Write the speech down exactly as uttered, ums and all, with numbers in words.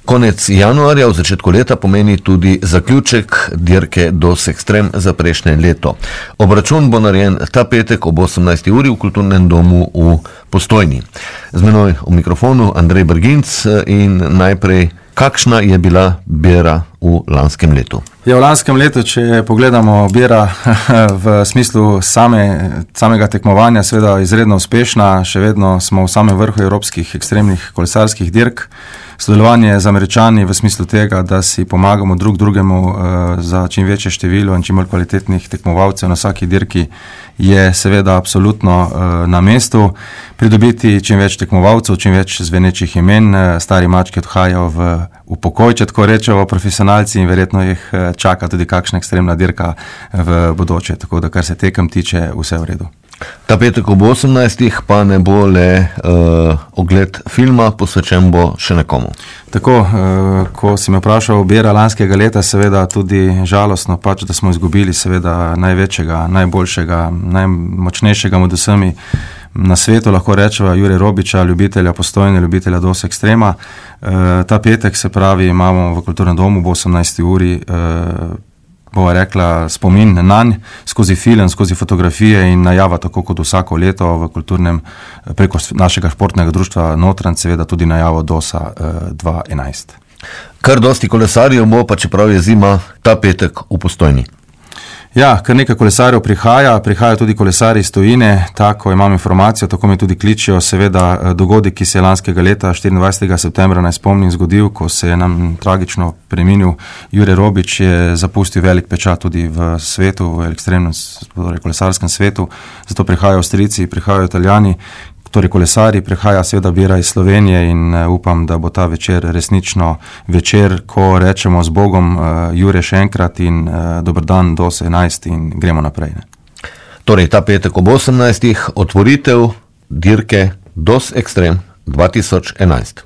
Konec januarja v začetku leta pomeni tudi zaključek dirke Dos Extrem za prejšnje leto. Obračun bo narejen ta petek ob osemnajsti uri v Kulturnem domu v Postojni. Z menoj v mikrofonu Andrej Brginc in najprej, kakšna je bila bera v lanskem letu? Ja, v lanskem letu, če pogledamo, bera v smislu same, samega tekmovanja seveda izredno uspešna, še vedno smo v samem vrhu evropskih ekstremnih kolesarskih dirk. Sodelovanje z Američani v smislu tega, da si pomagamo drug drugemu uh, za čim večje število in čim bolj kvalitetnih tekmovalcev na vsaki dirki, je seveda absolutno uh, na mestu. Pridobiti čim več tekmovalcev, čim več zvenečih imen, uh, stari mački odhajajo v, v pokoj, če tako rečejo, profesionalci, in verjetno jih uh, čaka tudi kakšna ekstremna dirka v bodoče, tako da kar se tekem tiče, vse v redu. Ta petek ob osemnajstih pa ne bo le uh, ogled filma, posvečen bo še nekomu. Tako, uh, ko si me vprašal bera lanskega leta, seveda tudi žalostno pač, da smo izgubili seveda največjega, najboljšega, najmočnejšega med vsemi na svetu, lahko rečeva Jure Robiča, ljubitelja Postojne, ljubitelja Dos Extrema. Uh, ta petek, se pravi, imamo v Kulturnem domu ob osemnajsti uri uh, bova rekla, spomin nanj skozi film, skozi fotografije in najava, tako kot vsako leto v kulturnem, preko našega športnega društva Notranj, seveda tudi najavo Dosa dva enajst. Kar dosti kolesarjev bo, pa čeprav je zima, ta petek v Postojni. Ja, kar nekaj kolesarjev prihaja, prihajajo tudi kolesarji iz tujine, tako imam informacijo, tako me tudi kličijo, seveda dogodek, ki se je lanskega leta štiriindvajsetega septembra, naj spomnim, zgodil, ko se je nam tragično preminil Jure Robič, je zapustil velik pečat tudi v svetu, v ekstremnem, torej kolesarskem svetu, zato prihajajo Avstrijci, prihajajo Italijani, torej kolesari, prihaja seveda bera iz Slovenije in uh, upam, da bo ta večer resnično večer, ko rečemo z Bogom, uh, Jure še enkrat in uh, dober dan, Dos enajst in gremo naprej. Ne? Torej, ta petek ob osemnajstih otvoritev dirke Dos Extrem dva tisoč enajst.